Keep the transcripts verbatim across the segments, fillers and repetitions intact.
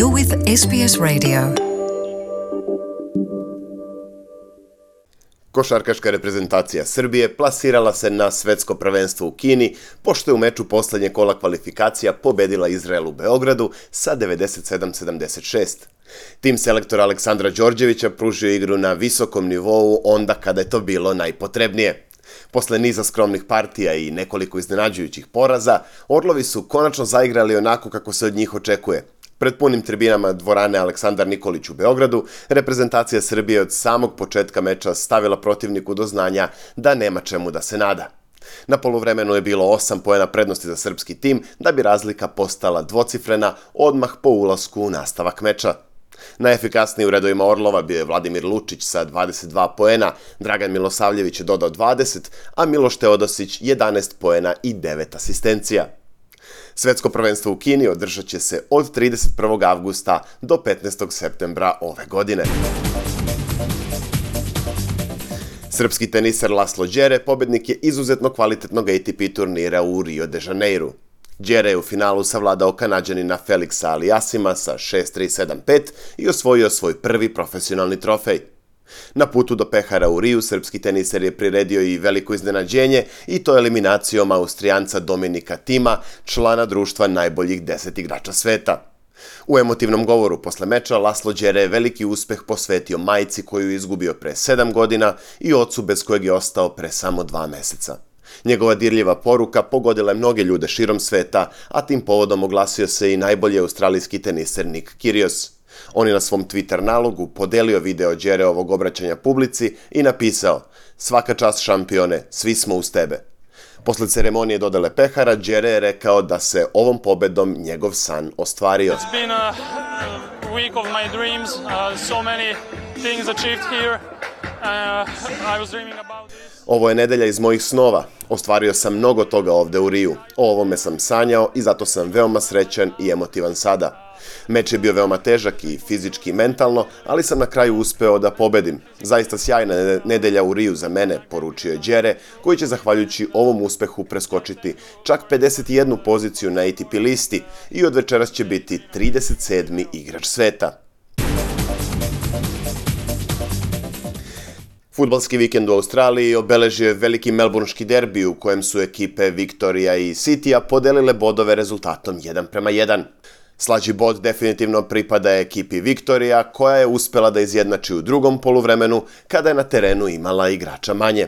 You're with S B S Radio. Košarkaška reprezentacija Srbije plasirala se na svetsko prvenstvo u Kini, pošto je u meču poslednje kola kvalifikacija pobedila Izrael u Beogradu sa devedeset sedam sedamdeset šest. Tim selektora Aleksandra Đorđevića pružio igru na visokom nivou onda kada je to bilo najpotrebnije. Posle niza skromnih partija i nekoliko iznenađujućih poraza, Orlovi su konačno zaigrali onako kako se od njih očekuje. Pred punim tribinama dvorane Aleksandar Nikolić u Beogradu, reprezentacija Srbije od samog početka meča stavila protivniku do znanja da nema čemu da se nada. Na poluvremenu je bilo osam poena prednosti za srpski tim, da bi razlika postala dvocifrena odmah po ulasku u nastavak meča. Najefikasniji u redovima Orlova bio je Vladimir Lučić sa dvadeset dva poena, Dragan Milosavljević je dodao dvadeset, a Miloš Teodosić jedanaest poena i devet asistencija. Svetsko prvenstvo u Kini održat će se od trideset prvog avgusta do petnaestog septembra ove godine. Srpski teniser Laslo Đere pobednik je izuzetno kvalitetnog A T P turnira u Rio de Janeiru. Đere je u finalu savladao Kanađanina Felixa Aliassima sa šest tri sedam pet i osvojio svoj prvi profesionalni trofej. Na putu do pehara u Riju, srpski teniser je priredio i veliko iznenađenje i to eliminacijom Austrijanca Dominika Tima, člana društva najboljih deset igrača sveta. U emotivnom govoru posle meča Laslo Đere je veliki uspeh posvetio majci koju je izgubio pre sedam godina i ocu bez kojeg je ostao pre samo dva meseca. Njegova dirljiva poruka pogodila je mnoge ljude širom sveta, a tim povodom oglasio se i najbolji australijski teniser Nick Kyrgios. On je na svom Twitter nalogu podelio video Đereovog obraćanja publici i napisao: "Svaka čast šampione, svi smo uz tebe." Posle ceremonije dodele pehara, Đere je rekao da se ovom pobedom njegov san ostvario. It's been a week of my dreams, uh, so many things achieved here. Uh, I was dreaming about this. Ovo je nedelja iz mojih snova. Ostvario sam mnogo toga ovde u Riju. O ovome sam sanjao i zato sam veoma srećan i emotivan sada. Meč je bio veoma težak i fizički i mentalno, ali sam na kraju uspeo da pobedim. Zaista sjajna nedelja u Riju za mene, poručio je Đere, koji će zahvaljujući ovom uspehu preskočiti čak pedeset jednu poziciju na A T P listi i od večeras će biti trideset sedmi igrač sveta. Fudbalski vikend u Australiji obeležio je veliki melbourneški derbi u kojem su ekipe Victoria i Citya podelile bodove rezultatom jedan prema jedan. Slađi bod definitivno pripada ekipi Victoria, koja je uspela da izjednači u drugom poluvremenu kada je na terenu imala igrača manje.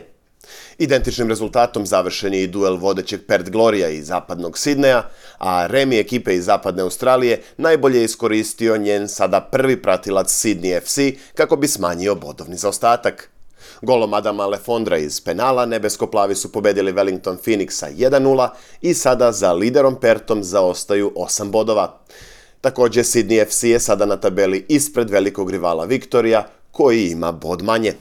Identičnim rezultatom završen je i duel vodećeg Perth Gloria iz zapadnog Sidneja, a remi ekipe iz zapadne Australije najbolje je iskoristio njen sada prvi pratilac Sydney F C kako bi smanjio bodovni zaostatak. Golom Adama Lefondra iz penala nebesko-plavi su pobedili Wellington Phoenixa jedan nula i sada za liderom Perthom zaostaju osam bodova. Takođe, Sydney F C je sada na tabeli ispred velikog rivala Victoria, koji ima bod manje.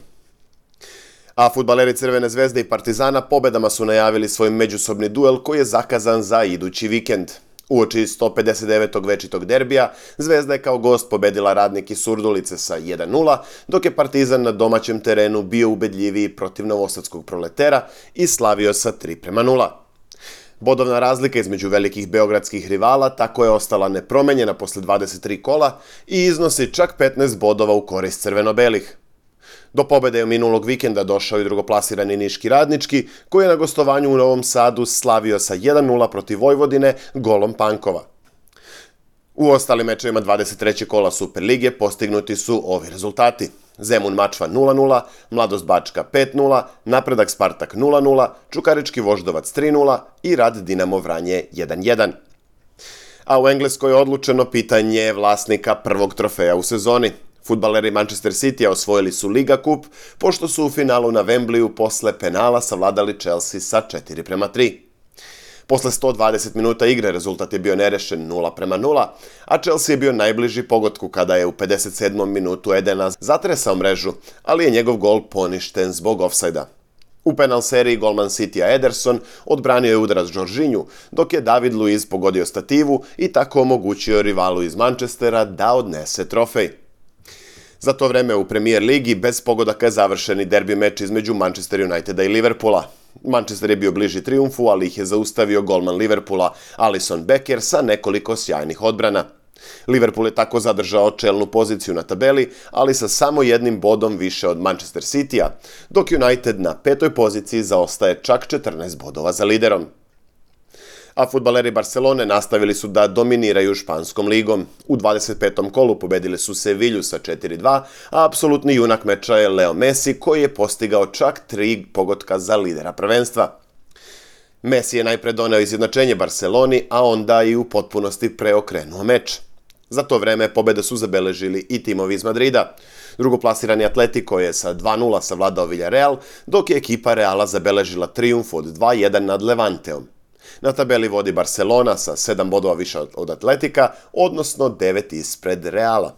A fudbaleri Crvene zvezde i Partizana pobedama su najavili svoj međusobni duel koji je zakazan za idući vikend. Uoči sto pedeset devetog večitog derbija, Zvezda je kao gost pobedila Radnik iz Surdulice sa jedan nula, dok je Partizan na domaćem terenu bio ubedljiviji protiv novosadskog Proletera i slavio sa tri prema nula. Bodovna razlika između velikih beogradskih rivala tako je ostala nepromenjena posle dvadeset tri kola i iznosi čak petnaest bodova u korist crveno-belih. Do pobede je minulog vikenda došao i drugoplasirani Niški Radnički, koji je na gostovanju u Novom Sadu slavio sa jedan nula protiv Vojvodine golom Pankova. U ostalim mečevima dvadeset trećeg kola Superlige postignuti su ovi rezultati: Zemun Mačva nula nula, Mladost Bačka pet nula, Napredak Spartak nula nula, Čukarički Voždovac tri nula i Rad Dinamo Vranje jedan jedan. A u Engleskoj je odlučeno pitanje vlasnika prvog trofeja u sezoni. Fudbaleri Manchester Citya osvojili su Liga kup, pošto su u finalu na Wembleyu posle penala savladali Chelsea sa četiri prema tri. Posle sto dvadeset minuta igre rezultat je bio nerešen nula prema nula, a Chelsea je bio najbliži pogodku kada je u pedeset sedmom minutu Edena zatresao mrežu, ali je njegov gol poništen zbog ofsajda. U penal seriji golman Citya Ederson odbranio je udarac Jorginhu, dok je David Luiz pogodio stativu i tako omogućio rivalu iz Manchestera da odnese trofej. Za to vreme u Premier ligi bez pogodaka je završen i derbi meč između Manchester Uniteda i Liverpoola. Manchester je bio bliži trijumfu, ali ih je zaustavio golman Liverpoola Alisson Becker sa nekoliko sjajnih odbrana. Liverpool je tako zadržao čelnu poziciju na tabeli, ali sa samo jednim bodom više od Manchester Citya, dok United na petoj poziciji zaostaje čak četrnaest bodova za liderom. A fudbaleri Barcelone nastavili su da dominiraju španskom ligom. U dvadeset petom kolu pobedili su Sevilju sa četiri dva, a apsolutni junak meča je Leo Messi koji je postigao čak tri pogotka za lidera prvenstva. Messi je najpre doneo izjednačenje Barceloni, a onda i u potpunosti preokrenuo meč. Za to vreme pobede su zabeležili i timovi iz Madrida. Drugoplasirani Atletico je sa dva nula savladao Villarreal, dok je ekipa Reala zabeležila trijumf od dva jedan nad Levanteom. Na tabeli vodi Barcelona sa sedam bodova više od Atletika, odnosno devet ispred Reala.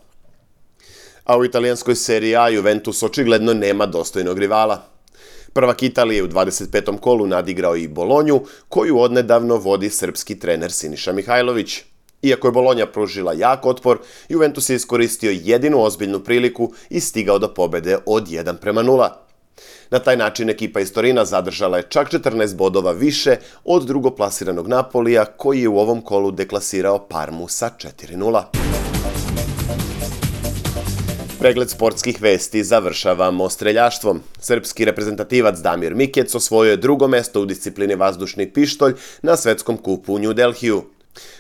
A u italijanskoj seriji A Juventus očigledno nema dostojnog rivala. Prvak Italije u dvadeset petom kolu nadigrao i Bolonju, koju odnedavno vodi srpski trener Siniša Mihajlović. Iako je Bolonja pružila jak otpor, Juventus je iskoristio jedinu ozbiljnu priliku i stigao do pobede od jedan prema nula. Na taj način ekipa iz Torina zadržala je čak četrnaest bodova više od drugoplasiranog Napolija, koji je u ovom kolu deklasirao Parmu sa četiri nula. Pregled sportskih vesti završavamo streljaštvom. Srpski reprezentativac Damir Mikec osvojio je drugo mesto u disciplini vazdušni pištolj na svetskom kupu u New Delhiju.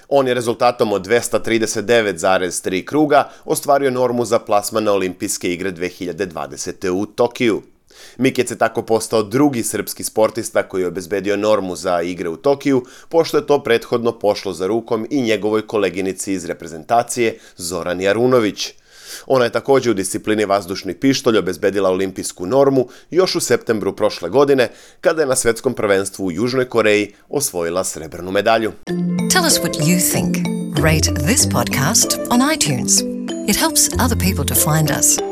On je rezultatom od dvesta trideset devet zarez tri kruga ostvario normu za plasman na Olimpijske igre dve hiljade dvadesete. u Tokiju. Mikec je tako postao drugi srpski sportista koji je obezbedio normu za igre u Tokiju, pošto je to prethodno pošlo za rukom i njegovoj koleginici iz reprezentacije Zorani Arunović. Ona je također u disciplini vazdušni pištolj obezbedila olimpijsku normu još u septembru prošle godine, kada je na svetskom prvenstvu u Južnoj Koreji osvojila srebrnu medalju. Tell us what you think. Rate this podcast on iTunes. It helps other people to find us.